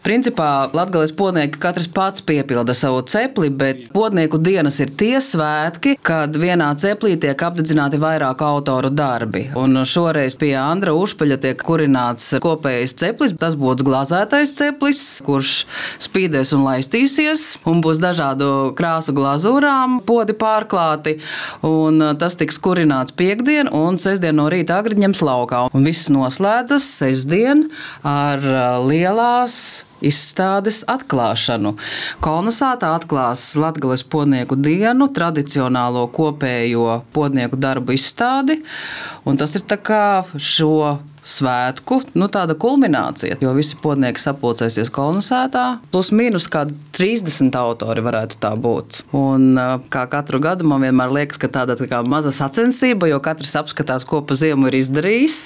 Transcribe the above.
Principā Latgales podnieki katrs pats piepilda savu cepli, bet podnieku dienas ir tie svētki, kad vienā ceplī tiek apdedzināti vairāk autoru darbi. Un šoreiz pie Andra Ušpeļa tiek kurināts kopējais ceplis. Tas būs glazētais ceplis, kurš spīdēs un laistīsies, un būs dažādu krāsu glazūrām podi pārklāti. Un tas tiks kurināts piektdien, un sestdien no rīta agri ņems laukā. Un viss noslēdzas sestdien ar lielās izstādes atklāšanu. Kolnesātā atklās Latgales podnieku dienu, tradicionālo kopējo podnieku darbu izstādi, un tas ir tā kā šo svētku, tāda kulminācija, jo visi podnieki sapulcēsies Kolnesātā, plus mīnus kādi 30 autori varētu tā būt. Un kā katru gadu man vienmēr liekas, ka tāda tā kā maza sacensība, jo katrs apskatās, ko pa ziemu ir izdarījis.